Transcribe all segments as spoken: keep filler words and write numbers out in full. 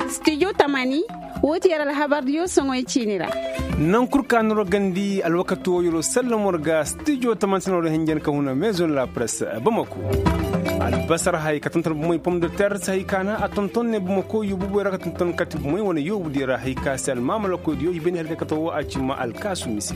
Stijo tamani, woo ti yer alhabardiyo soŋoy ciini ra. Naŋ kul ka noro gandi alwakati woo yeroo sallam war ga stijo tamani se no ra hinjan ka huna maison la presse bamako. Albasar hay ka tonton bumey pom de terre se hay ka na a tonton ne bumako yoobu boy ra ka tonton kati bumey wane yoobu di ra hay ka se almaamalakoydiyo i beni hari ka kata woo a cimma alkaasu mise.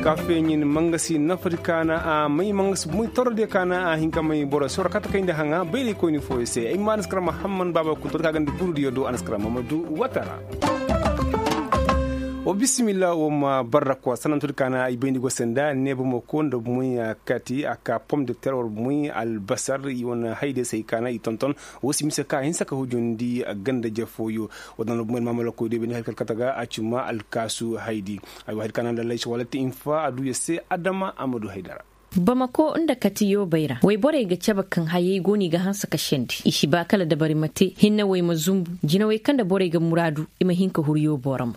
Ka feeɲin mangasi nafari ka na a may mangasi bumey torodiyo ka na a hin ka may boro soro kata kayndi haŋa bayraykoyni fooyo se ay ma anaskara mahamman baaba kunto ka gandi burudiyo do anaskara mamadu watara. Wa bisimilla wa ma barra ko sanantudi ka na ay bayndi go senda neeba ma ko nda bumey kati a ka pom de terre war bumey albasar i wane hayde se ay ka na i tonton. Wa si mise ka hinsa ka hujundi ganda jafooyo. Wa dana bumey almaamalakoydiyo bayndi hari kal kata ga a cimma alkaasu haydi. Ay wa hari ka na lallay si walati infa a du ya se adama a ma du haydara. Bamako nda kati yoobay ra wayborey ga cabe kaŋ hayey go no i ga hanse ka sendi i si ba kala dabari ma te hinne wey ma zumbu jinawey kaŋ nda borey ga muraadu i ma hin ka huru yoobo ra mo.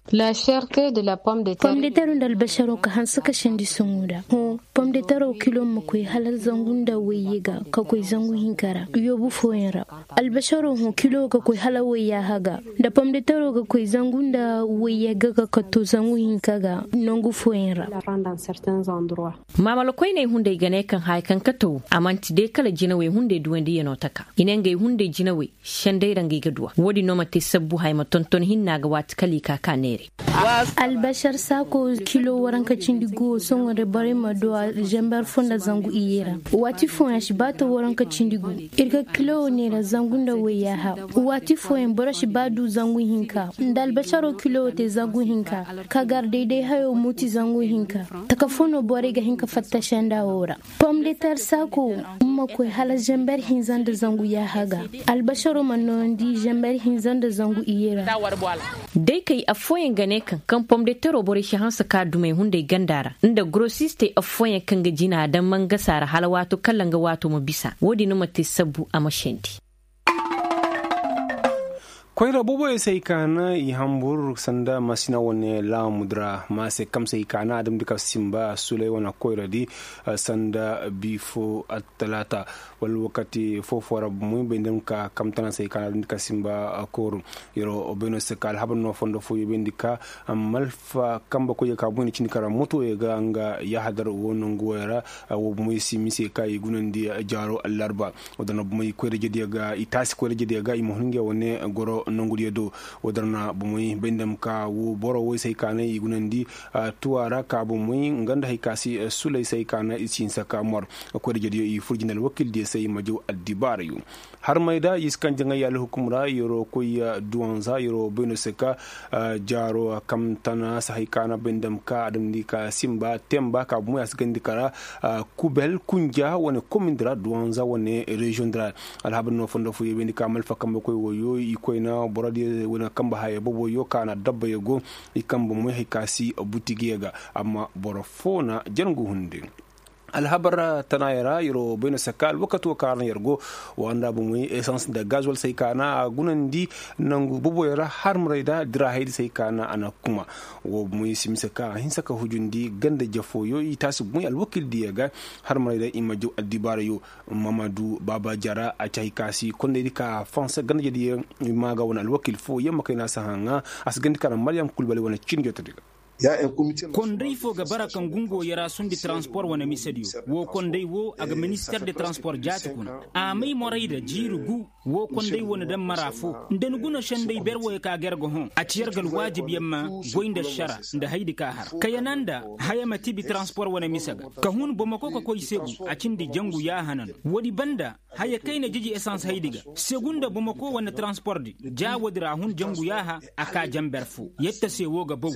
Pom de terre nda albasaro ka hanse ka sendi soŋo nda hõ. Pom de terro kilo ma koy hala zangu nda wayye ga ka koy zangu hinka ra yoobu fooyaŋ ra. Albasaro hõ kilo ga koy hala wayyaaha ga nda pom de terro ga koy zangu nda wayye ga ka katto zangu hinka ga. Nangu fooyaŋ ra. Maamalakoyney hunday ga ne kaŋ haya kaŋ kate wo a man'ti day kala jinawey hunday duwandiyanoo taka i ne ngey hunday jinawey. Senday ra ngey ga duwa wo-din no ma te sabbu haya ma tonton hinna ga waati kala i ka ka neeray. Albasar saako kilo waranka cindi gu wo sohõ nda borey ma duwa zamber fo nda zangu iyye ra. Waati fooyaŋ a si ba ta waranka cindi gu. Ir ga kilo wo neera zangu nda wayyaaha. Waati fooyaŋ boro si ba du zangu hinka nda albasaro kilo wo te zangu hinka. Ka gar dayday hayo muuti zangu hinka. Taka fo no borey ga hin ka fatta senda wo ra. Pom de ter saako wo ma koy hala zamber hinza nda zangu yaaha ga. Albasaro ma noondi zamber hinza nda zangu iyye ra. Day kay affooyaŋ ga ne kaŋ kaŋ pom de tero borey si hanse ka dumey hunday ganda ra nda gorosistey affooyaŋ kaŋ ga jina daŋ mangasa ra hala waato kala nga waato ma bisa wo-din no ma te sabbu a ma sendi. Koyra booboyey se ay kaana i hambur sanda masina wane laamudi ra ma se kamse ay kaana a damndi ka simba suley wane koyra di. Sanda bi fo attalaata wala wakati foo-foo ra bumey bay nda nga ka kamtana se ay kaana a damndi ka simba kooru. Yeroo bay no se ka alhabar no fondo fooyoo bay nda ka malfa kambe koyey ka bumey na cindi ka ra motoyey ga nga yahadar woo nangu woyey ra. Woo bumey si mise ka i gunandi jaaro allarba. Woo da na bumey koyra jediyo ga i taasi koyra jediyo ga i ma hun ngey wane goro nangudiyo do. Woo da na bumey bay nda ma ka woo boro woy se ay kaana i gunandi tuwa ra ka bumey nga nda hay ka si sulay se ay kaana i si hinsa ka mor. Koyra jediyo i fur jinde alwakildiyo se i ma jaw addibaarayo. Harmey da i si kaŋ jaŋay alhukum ra yeroo koy duwanza yeroo bay no se ka jaaro kamtana se hay kaana bay nda ma ka a damndi ka simba temba ka bumey a si gandi ka ra. Kubel kunja wane komindi ra duwanza wane reziyoŋ di ra. Alhabar no fondo fooyoo bay nda ka malfa kambe koy woyoo i koyna borodiyo wane kambe hayey booboyoo ka na dabbayoo go. I kambe moy hay ka si butigiyo ga amma boro foo na jangu hunde. Alhabar tanaayoo ra yeroo bay no se ka alwakatoo ka ra no yer go. Wa nda bumey esans nda gazwal se ay kaana a gunandi nangu booboyoo ra harmaray da dira haydi se ay kaana a na kuma. Woo bumey si mise ka a hinsa ka hujundi ganda jafooyoo i taasi bumey alwakildiyo ga. Harmaray da i ma jaw addibaarayoo. Mamadu baaba jara a ci hay ka si kondaydi ka fanse ganda jediyo. I maaga wane alwakil foo yamma kayna si haŋa a si gandi ka ra maryam kulbali wane cin jotodi ga. Konday foo ga bara kaŋ ga ngoo yaraasundi transpor wane misediyo. Woo konday woo a ga minister de transpor jaati kuna. A may morayda jiiri gu. Woo konday wane daŋ mara foo nda ni guna senday ber woyoo ka ga yer ga hõ a ci yer ga alwaajib yer ma goy nda ašara nda haydi ka har kayana nda haya ma tibi transpor wane mise ga. Ka hun bomoko ka koy segu a cindi jangu yaaha na no. Woodi banda haya kayna jiji esans haydi ga. Segu nda bomoko wane transpor di ja woodi ra hun jangu yaaha. A ka jamber foo yetta se woo ga baw.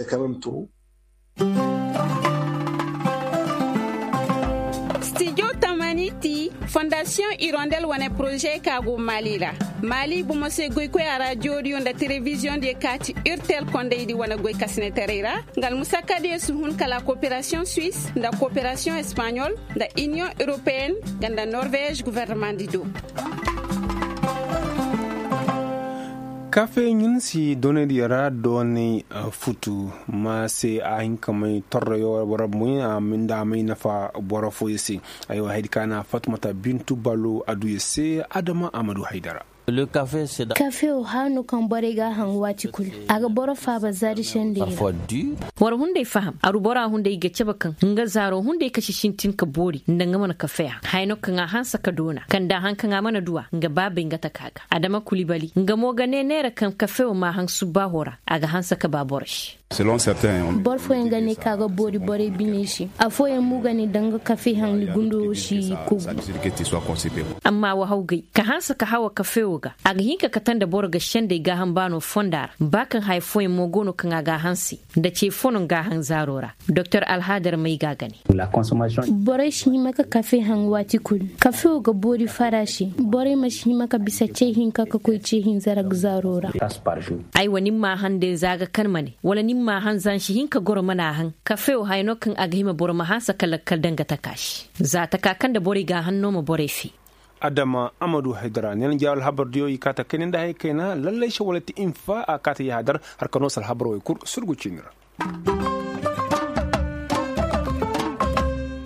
Stijo tamani ti fondasiyoŋ irondel wane poroze ka go mali ra. Mali bomo se goykoya ra jooriyo nda telebiziyoŋ diyo ka ti urtel kondaydi wane goykasinetaray ra. Nga almusakka diyo si hun kala koperasiyoŋ suis nda koperasiyoŋ espaɲol nda iniyoŋ europeyen nga nda norvez guvernamandi do. Kafe ɲin si doonay diya ra doonay futu ma se a hin ka may torroyo boro boŋ a ma nda a may nafa boro fooyo se. Aywa haydi ka na fatmata bintu balo a du ya se adama a ma du haydara. Kafe wo hano kaŋ borey ga a haŋ waati kulu a ga boro faaba zaadi sendey ra. War hunday faham aru bora hunday ga cabe kaŋ nga zaaro hunday kasi sintin ka boori nda nga mana kafe a haya no kaŋ a hanse ka doona kaŋ da haŋ kaŋ a mana du a nga baabey nga taka ga adama kulibali nga mo ga ne neera kaŋ kafe wo ma haŋ subbaaho ra a ga hanse ka ba boro se. Boro fooyaŋ ga ne ka ga boori borey biney se. Afooyaŋ mo ga ne danga kafe haŋ ni gundo wo si kogu. Amma wa hawgay ka hanse ka hawa kafe wo ga a ga hin ka kate nda boro ga sendey gaaham baano fonda ra ba kaŋ haya fooyaŋ mo go no kaŋ a ga a hanse nda ce fo no nga a haŋ zaaro ra. Doktor alhaadar may ga a ga ne. Borey si hima ka kafe haŋ waati kulu. Kafe wo ga boori fara se. Borey ma si hima ka bisa ce hinka ka koy ce hinza ra ga zaaro ra. Aywa ni ma a haŋ day za ga kan ma ne wala ni ma a haŋ za ni si hin ka goro mana a haŋ. Kafe wo haya no kaŋ a ga hima boro ma hanse ka lakkal danga taka se. Za taka kaŋ nda borey ga a haŋ no ma borey fe. Adama amadu haydara neena jaaru alhabar diyo i kaata kayna nda haya kayna lallay se wala ti infa a kaata yaha dar. Har ka no se alhabar wo i kul surgu ciini ra.